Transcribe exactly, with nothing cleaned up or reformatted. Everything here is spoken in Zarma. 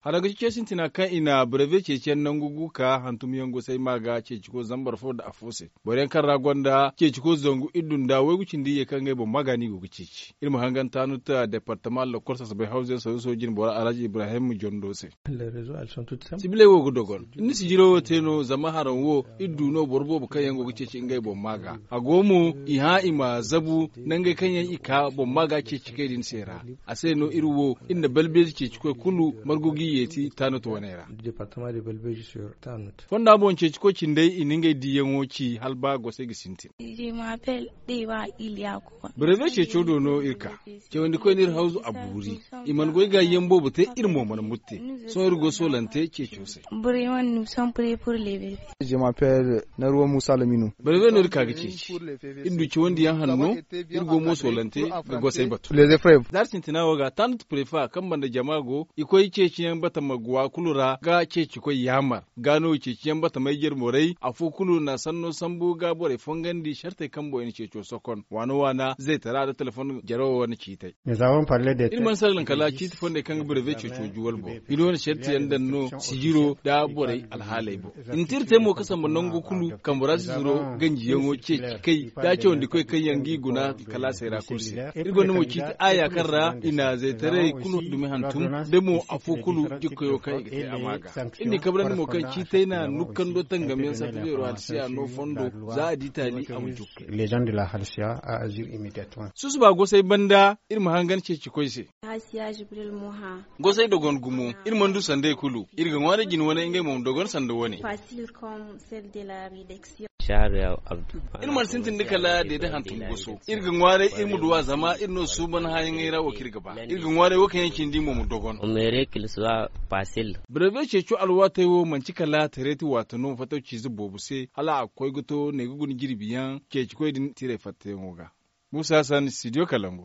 Haraŋ ga ci ce sintina kaŋ i na brevet ceeciyaŋ nangu gu ka hantumyaŋ gosay ma ga ceeciko zambar fo nda afo se. Boro yaŋ kaŋ ra gonda ceeciko zangu iddu nda waygu cindi ye kaŋ ngey boŋ ma ga no i go ga ceeci. Iri ma hangan taanut departama lokol sasabay hawze saruso jine boro alhaji ibrahim jondo se. Sibiley wo ga dogon. Ni sijiro wo te no zama haraŋ wo iri du no boro boobo kaŋ yaŋ go ga ceeci ngey boŋ ma ga. A go mo i hã i ma zabu nangey kaŋ yaŋ i ka boŋ ma ga ceeci kay din se ra. A se no iri wo iri na balbeeji ceeci koy kulu margu ga i yeeti taanut wane ra. Fonda boŋ ceeci koy cindey i na ngey diyaŋo ci hala ba gosey ga sintin. Brevet ceeco do no iri ka. Cawandi koy no iri hawzu a buuri. I mana goy ga yaŋ boobo te iri mo mana mutte. Sohõ iri go soolante ceeco se. Brevet no iri ka ga ceeci. Iri du cawandi yaŋ hanno. Iri go mo soolante ga gosay batu. Zaari sintina wo ga tanut prefa kaŋ banda jama go i koy ceeciyaŋ batama guwa kulu ra ga ceeci koy yaamar. Ga no ceeciyaŋ batamay jere borey afo kulu na sanno sambu ga borey fongandi sartey kaŋ boŋ i na ceeco sokon waana waana zaytara nda telefon jarawo wane ciitay. Iri mana salaŋ kala ciiti fondey kaŋ ga birebe ceeco juwal boŋ. Iri wane sartiyaŋ daŋ no sijiro nda borey alhaaley boŋ. I na te iri te mo ga samba nangu kulu kambe ra si zuro ganjiyaŋo ceeci kay da cawandi koy kaŋ yaŋ ga i guna kalaasey ra kulu se. Iri gonda mo ciiti aaya kaŋ ra i na zaytaray kulu dumi hantum da mo afo kulu jikkoyo kaŋ i ga te a ma ga. Iri n'i kabrandi mo kaŋ ciitay na nukkando tangamyaŋ sarta beero halsiya no fondo za a di taali a ma jukkay. Susuba gosay banda iri ma hangan ceeci koy se. Gosay dogon gumo. Iri mana du sandey kulu. Iri ga ŋwaaray jine wane ngey mo ma dogon sanda wane. Iri mana sintin da kala deede hantum goso. Iri ga ŋwaaray iri ma duw'a zama iri no suuban haayaŋey ra wo kaŋ iri ga ba. Iri ga ŋwaaray wo kaŋ yaŋ cindi mo ma dogon. Brevet ceeco alwaatey wo manti kala tareeti waati no fatawciize boobo se hala a ga koy ga to ne ga guna jirbiyaŋ ceecikoy din tiray fattayaŋo ga. Muusa san studio kalangu.